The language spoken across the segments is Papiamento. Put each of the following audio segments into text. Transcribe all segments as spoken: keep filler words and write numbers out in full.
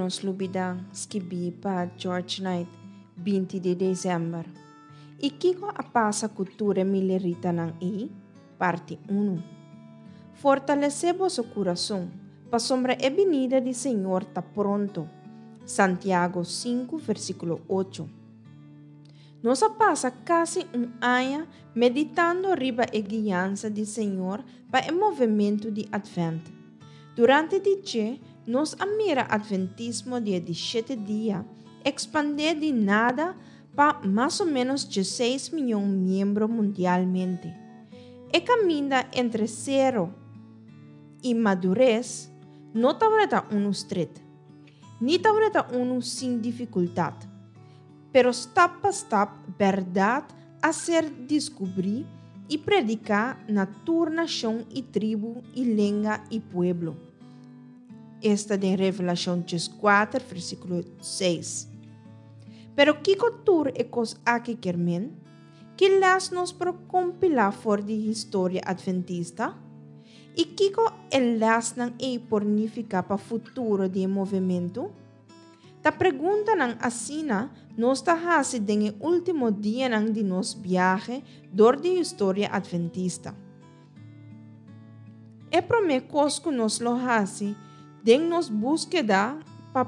Nos Lubidá, skibí pa George Knight, binti di desèmber. I kiko a pasa ku tur e mileritanan ei? Parti un. Fortalesé boso kurason, pasobra e binida di Señor ta pronto. Santiago sinku, versíkulo ocho. Nos a pasa kasi un aña meditando riba e guiansa di Señor pa e movementu di Atvènt. Durante di dje, nos a mira Atventismo di e di shete dia ekspandé di nada pa mas o ménos diesseis mion miembro mundialmente. E kaminda entre sero i madures no tabata unu stret, ni tabata unu sin difikultat. Pero stap pa stap bèrdat a ser deskubrí i prediká na tur nashon i tribu i lenga i pueblo. Esta den Revelashon kuater, versíkulo seis. Pero kiko tur e kos aki kier men? Ki lès nos por kompilá for di historia atventista? I kiko e lèsnan ei por nifiká pa futuro di e movementu? Ta preguntanan asina nos ta hasi den e último dianan di nos biahe dor di historia atventista. E promé kos ku nos lo hasi den nos búskeda pa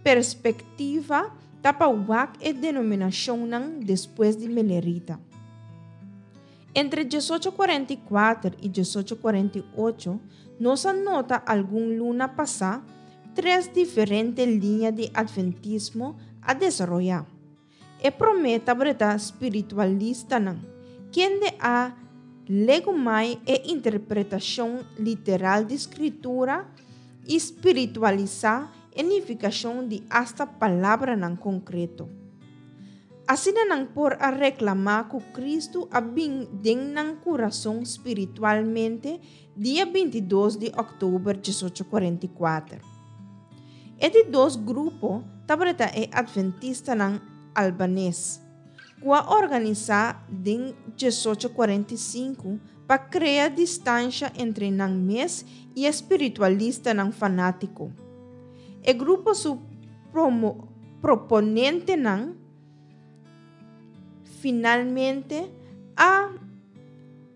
perspektiva ta pa wak e denominashonnan despues di Milerita. Entre diesocho kuarenta i kuater i diesocho kuarenta i ocho nos a nota algun luna pasá tres diferente liña di atventismo a desaroyá. E promé tabata spiritualistanan, kende a legumai e interpretashon literal di Skritura i spiritualisá e nifikashon di asta palabranan konkreto. Asina nan por a reklamá ku Kristu a bin den nan kurason spiritualmente dia binti i dos di òktober diesocho kuarenta i kuater. E di dos grupo tabata e atventistanan albanes, ku a organisá den diesocho kuarenta i sinku pa krea distansha entre nan mes i e spiritualistanan fanátiko. E grupo su promo-, proponentenan finalmente a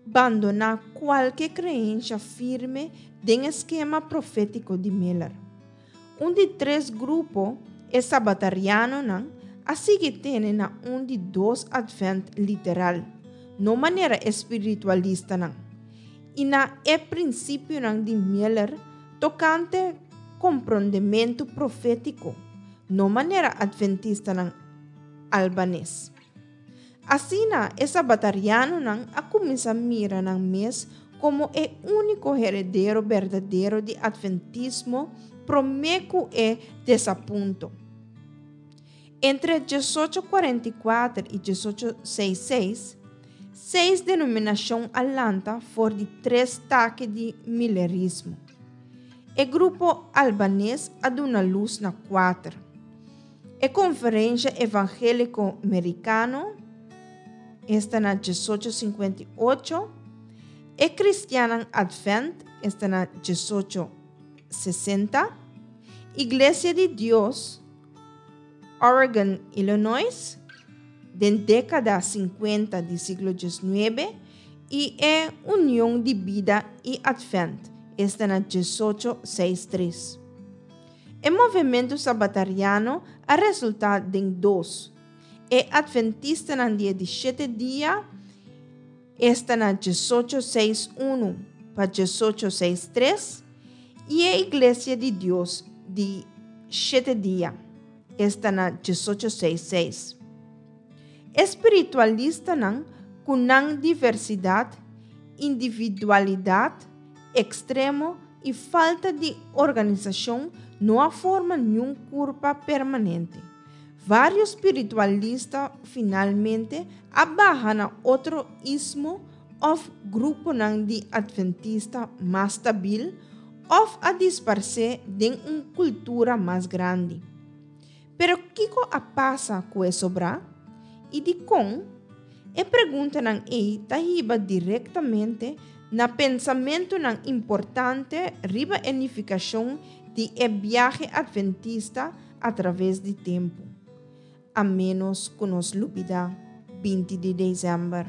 bandoná kualke kreensha firme den e skema profétiko di Miller. Un di tres grupo, e sabatarianonan, a sigui tene na un di dos atvènt literal, no manera e spiritualistanan, i na e prinsipionan di Miller tokante komprondementu profétiko, no manera atventistanan albanes. Asina, e sabatarianonan a kuminsá mira nan mes komo e úniko heredero berdadero di atventismo promé ku e desapunto. Entre diesocho kuarenta i kuater i diesocho seis seis, seis denominashon a lanta for di tres take di milerismo. E grupo albanes a duna lus na kuater. E Konferensha Evangéliko Merikano, esta na diesocho sinkuenta i ocho, e Kristiannan Advent, esta na diesocho sesenta, Iglesia di Dios, Oregon, Illinois, den dékada sinkuenta di siglo diesnuebe, i e Union di Bida i Advent, esta na diesocho seis tres. E movementu sabatariano a resultá den dos. E Adventistanan di e di shete dia, esta na diesocho seis unu pa diesocho seis tres, i e Iglesia di Dios di shete dia, esta na diesocho seis seis. E spiritualistanan ku nan diversidat, individualidat ekstremo i falta di organisashon no a forma niun kurpa permanente. Vários spiritualista finalmente a baha na otro ismo òf gruponan di atventista mas stabil òf a disparsé den un kultura mas grandi. Pero kiko a pasa ku e sobrá? I dikon? E preguntanan ei ta hiba direktamente na pensamentunan importante riba e nifikashon Di e biahe atventista atraves di tempu. A ménos ku nos lubidá binti di desèmber.